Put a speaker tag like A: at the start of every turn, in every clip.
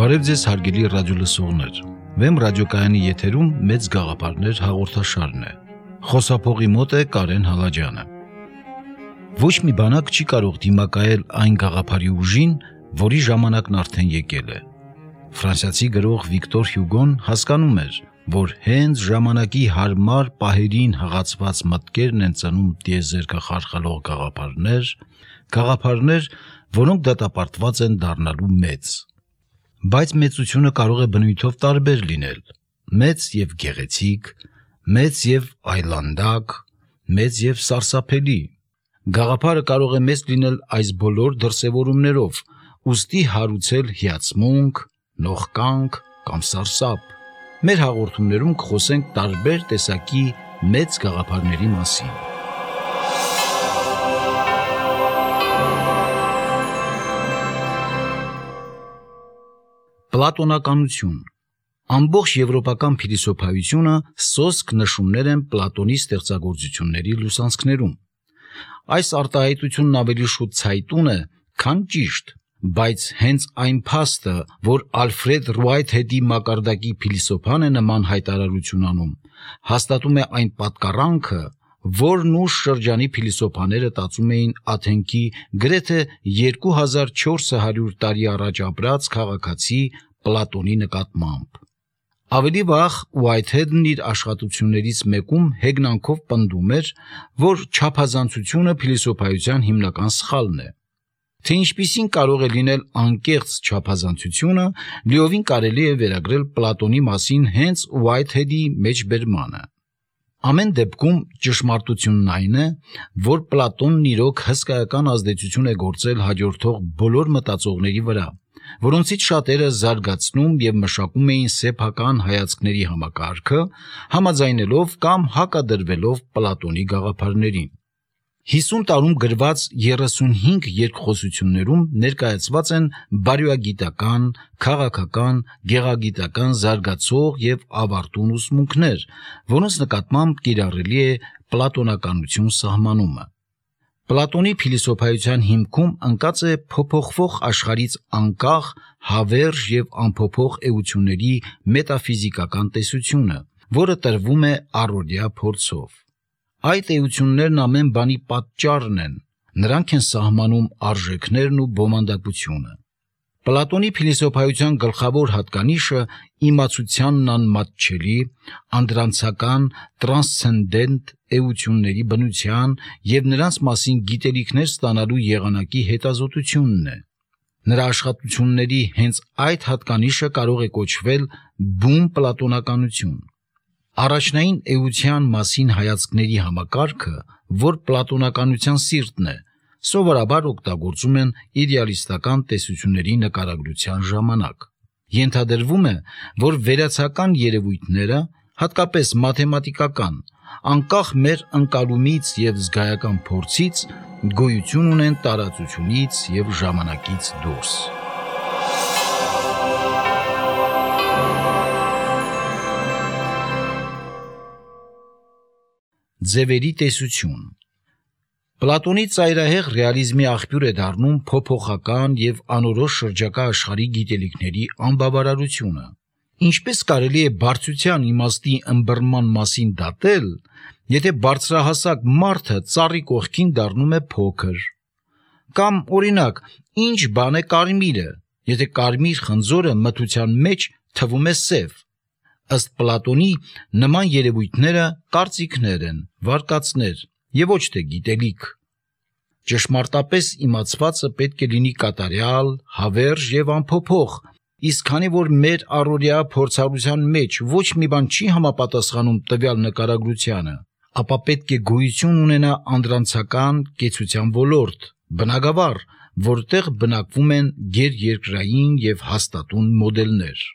A: Բարև ձեզ հարգելի ռադիոլսողներ, Վեմ ռադիոկայանի եթերում մեծ գաղափարներ հաղորդաշարն է, խոսափողի մոտ է Կարեն Հալաջյանը։ Ոչ մի բանակ չի կարող դիմակայել այն գաղափարի ուժին, որի ժամանակն արդեն եկել է։ Ֆրանսիացի գրող Վիկտոր Հյուգոն հասկանում էր, որ հենց ժամանակի հարմար պահերին հղացված մտքերն են ծնում տիեզերքը խարխալող գաղափարներ, որոնք դատապարտված են դառնալու մեծ։ Բայց մեծությունը կարող է բնույթով տարբեր լինել, մեծ և գեղեցիկ, մեծ և այլանդակ, մեծ և սարսափելի։ Գաղափարը կարող է մեծ լինել այս բոլոր դրսևորումներով, ուստի հարուցել հիացմունք, նողկանք կամ սարսափ։ Մեր հաղորդումներում կխոսենք տարբեր տեսակի մեծ գաղափարների մասին։ Պլատոնականություն։ Ամբողջ եվրոպական փիլիսոփայությունը սոսկ նշումներ են Պլատոնի ստեղծագործությունների լուսանցքներում։ Այս արտահայտությունն ավելի շուտ ցայտուն է, քան ճիշտ, բայց հենց այն փաստը, որ Ալֆրեդ Ռուայթհեդի մակարդակի փիլիսոփան է նման հայտարարություն անում, հաստատում է այն պատկառանքը, որն ուշ շրջանի փիլիսոփաները տածում էին Աթենքի գրեթե 2400 տարի առաջ ապրած քաղաքացի Պլատոնի նկատմամբ։ Ավելի վաղ Ուայթհեդն իր աշխատություններից մեկում հեգնանքով պնդում էր, որ չափազանցությունը փիլիսոփայության հիմնական սխալն է։ Թե ինչպիսին կարող է լինել անկեղծ չափազանցությունը, լիովին կարելի է վերագրել Պլատոնի մասին հենց Ուայթհեդի մեջբերմանը։ Ամեն դեպքում ճշմարտությունն այն է, որ Պլատոնն իրոք հսկայական ազդեցություն է գործել հաջորդող բոլոր մտածողների վրա, որոնցից շատերը զարգացնում և մշակում էին սեփական հայացքների համակարգը, համաձայնելով կամ հակադրվելով Պլատոնի գաղափարներին։ 50 տարում գրված 35 երկխոսություններում ներկայացված են բարոյագիտական, քաղաքական, գեղագիտական զարգացող և ավարտուն ուսմունքներ, որոնց նկատմամբ կիրառելի է պլատոնականություն սահմանումը։ Պլատոնի փիլիսոփայության հիմքում ընկած է փոփոխվող աշխարհից անկախ, հավերժ և անփոփոխ էությունների մետաֆիզիկական տեսությունը, որը տրվում է առօրյա փորձով։ Այդ էություններն ամեն բանի պատճառն են, նրանք են սահմանում արժեքներն ու բովանդակությունը։ Պլատոնի փիլիսոփայության գլխավոր հատկանիշը իմացությանն անմատչելի, անդրանցական, տրանսցենդենտ էությունների բնության և նրանց մասին գիտելիքներ ստանալու եղանակի հետազոտությունն է։ Նրա աշխատությունների հենց այդ հատկանիշը կարող է կոչվել բուն պլատոնականություն։ Առաջնային էության մասին հայացքների համակարգը, որ պլատոնականության սիրտն է, սովորաբար օգտագործում են իդեալիստական տեսությունների նկարագրության ժամանակ։ Ենթադրվում է, որ վերացական երևույթները, հատկապես մաթեմատիկական, անկախ մեր ընկալումից և զգայական փորձից, գոյություն ունեն տարածությունից և ժամանակից դուրս։ Ձևերի տեսություն։ Պլատոնի ծայրահեղ ռեալիզմի աղբյուր է դառնում փոփոխական և անորոշ շրջակա աշխարհի գիտելիքների անբավարարությունը։ Ինչպես կարելի է բարձրության իմաստի ըմբռնման մասին դատել, եթե բարձրահասակ մարդը ծառի կողքին դառնում է փոքր։ Կամ, օրինակ, ինչ բան է կարմիրը, եթե կարմիր խնձորը մթության մեջ թվում է սև։ Ըստ Պլատոնի, նման երևույթները կարծիքներ են, վարկածներ և ոչ թե գիտելիք։ Ճշմարտապես իմացվածը պետք է լինի կատարյալ, հավերժ և անփոփոխ, իսկ քանի որ մեր առօրյա փորձառության մեջ ոչ մի բան չի համապատասխանում տվյալ նկարագրությանը, ապա պետք է գոյություն ունենա անդրանցական կեցության ոլորտ, բնագավառ, որտեղ բնակվում են գերերկրային և հաստատուն մոդելներ։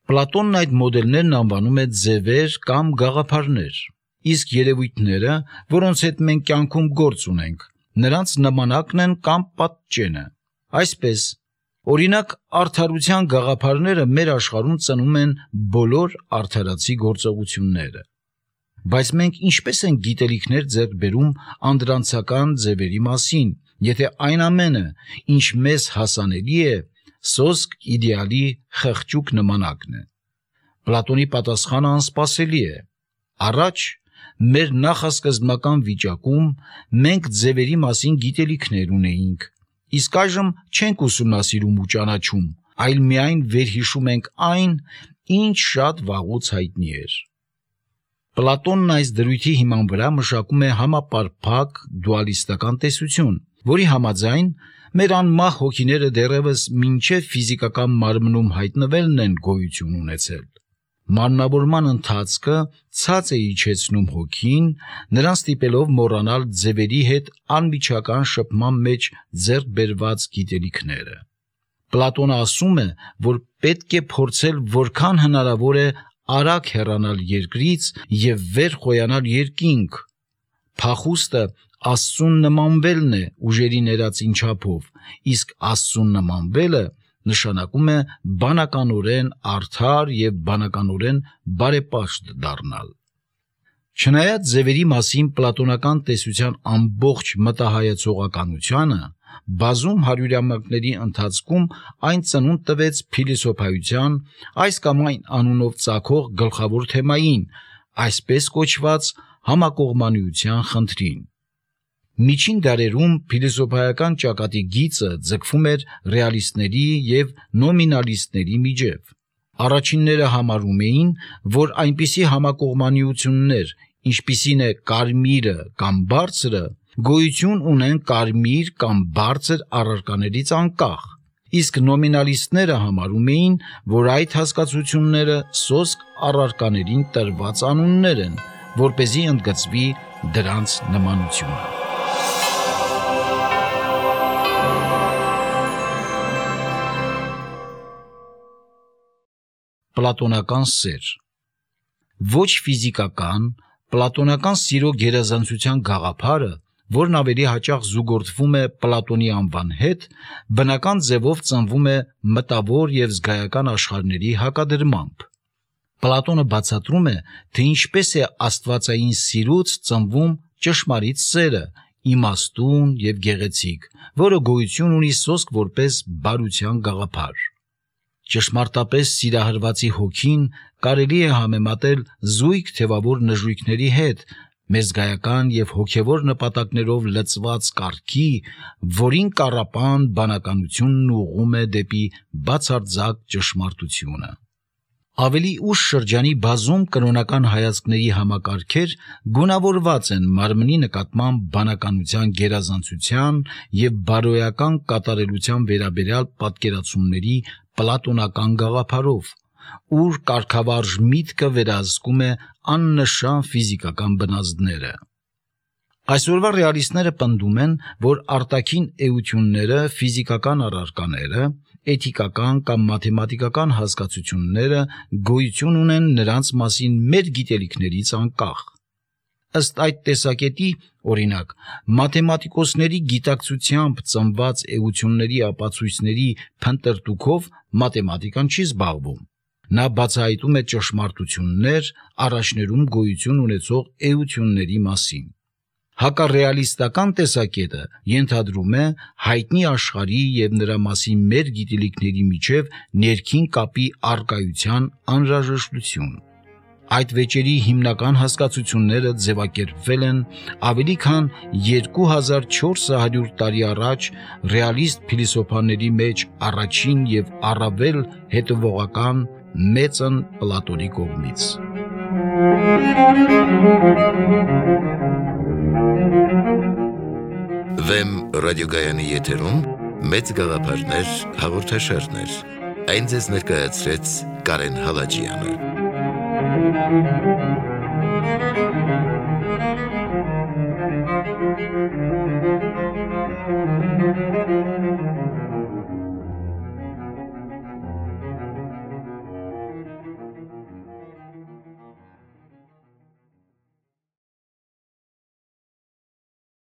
A: Պլատոնն այդ մոդելներն անվանում է ձևեր կամ գաղափարներ, իսկ երևույթները, որոնց հետ մենք կյանքում գործ ունենք, նրանց նմանակն են կամ պատճենը։ Այսպես, օրինակ, արդարության գաղափարները մեր աշխարհում ծնում են բոլոր արդարացի գործողությունները։ Բայց մենք ինչպես ենք գիտելիքներ ձեռք բերում անդրանցական ձևերի մասին, եթե այն ամենը, ինչ մեզ հասանելի է, սոսկ իդեալի խղճուկ նմանակն է։ Պլատոնի պատասխանը անսպասելի է։ Առաջ մեր նախասկզբնական վիճակում մենք ձևերի մասին գիտելիքներ ունեինք, իսկ այժմ չենք ուսումնասիրում ու ճանաչում, այլ միայն վերհիշում ենք այն, ինչ շատ վաղուց հայտնի էր։ Պլատոնն այս դրույթի հիման վրա մշակում է համապարփակ դուալիստական տեսություն, որի համաձայն մեր անմահ հոգիները դեռևս մինչև ֆիզիկական մարմնում հայտնվելն են գոյություն ունեցել։ Մարմնավորման ընթացքը ցած է իջեցնում հոգին, նրան ստիպելով մոռանալ ձևերի հետ անմիջական շփման մեջ ձեռք բերված գիտելիքները։ Պլատոնը ասում է, որ պետք է փորձել որքան հնարավոր է արագ հեռանալ երկրից և վեր խոյանալ երկինք։ Փախուստը Աստծուն նմանվելն է ուժերի ներածին չափով, իսկ Աստծուն նմանվելը նշանակում է բանականորեն արդար և բանականորեն բարեպաշտ դառնալ։ Չնայած ձևերի մասին պլատոնական տեսության ամբողջ մտահայացողականությանը, բազում հարյուրամյակների ընթացքում այն ծնունդ տվեց փիլիսոփայության, այս կամ այն անունով ծագող գլխավոր թեմային, այսպես կոչված համակողմանիության խնդրին։ Միջին դարերում փիլիսոփայական ճակատի գիծը ձգվում էր ռեալիստների և նոմինալիստների միջև։ Առաջինները համարում էին, որ այնպիսի համակողմանիություններ, ինչպիսին է կարմիրը կամ բարձրը, գոյություն ունեն կարմիր կամ բարձր առարկաներից անկախ, իսկ նոմինալիստները համարում էին, որ այդ հասկացությունները սոսկ առարկաներին տրված անուններ են, որպեսզի ընդգծվի դրանց նմանությունը։ Պլատոնական սեր։ Ոչ ֆիզիկական, պլատոնական սիրո գերազանցության գաղափարը, որն ավելի հաճախ զուգորդվում է Պլատոնի անվան հետ, բնական ձևով ծնվում է մտավոր և զգայական աշխարհների հակադրմամբ։ Պլատոնը բացատրում է, թե ինչպես է աստվածային սիրուց ծնվում ճշմարիտ սերը, իմաստուն և գեղեցիկ, որը գոյություն ունի սոսկ որպես բարության գաղափար։ Ճշմարտապես սիրահարվածի հոգին կարելի է համեմատել զույգ թևավոր նժույգների հետ, մեզգայական և հոգևոր նպատակներով լցված կառքի, որին կառապան բանականությունն ուղղում է դեպի բացարձակ ճշմարտությունը։ Ավելի ուշ շրջանի բազում կրոնական հայացքների համակարգեր գունավորված են մարմնի նկատմամբ բանականության գերազանցության և բարոյական կատարելության վերաբերյալ պատկերացումների պլատոնական գաղափարով, ուր կարգավարժ միտքը վերահսկում է աննշան ֆիզիկական բնազդները։ Այսօրվա ռեալիստները պնդում են, որ արտաքին էությունները, ֆիզիկական առարկաները, էթիկական կամ մաթեմատիկական հասկացությունները գոյություն ունեն նրանց մասին մեր գիտելիքներից անկախ։ Ըստ այդ տեսակետի, օրինակ, մաթեմատիկոսների գիտակցությամբ ծնված էությունների ապացույցների փնտրտուքով մաթեմատիկան չի զբաղվում։ Նա բացահայտում է ճշմարտություններ առաջներում գոյություն ունեցող էությունների մասին։ Հակառեալիստական տեսակետը ենթադրում է հայտնի աշխարհի և նրա մասին մեր գիտելիքների միջև ներքին կապի առկայության անհրաժեշտություն։ Այդ վեճերի հիմնական հասկացությունները ձևակերպվել են ավելի քան 2400 տարի առաջ ռեալիստ փիլիսոփաների մեջ առաջին և առավել հետևողական մեծն Պլատոնի կողմից։
B: Վեմ ռադիոգայանի եթերում մեծ գաղափարներ հաղորդաշարներ։ Այն ձեզ ներկայացրեց Կարեն Հալաջյանը։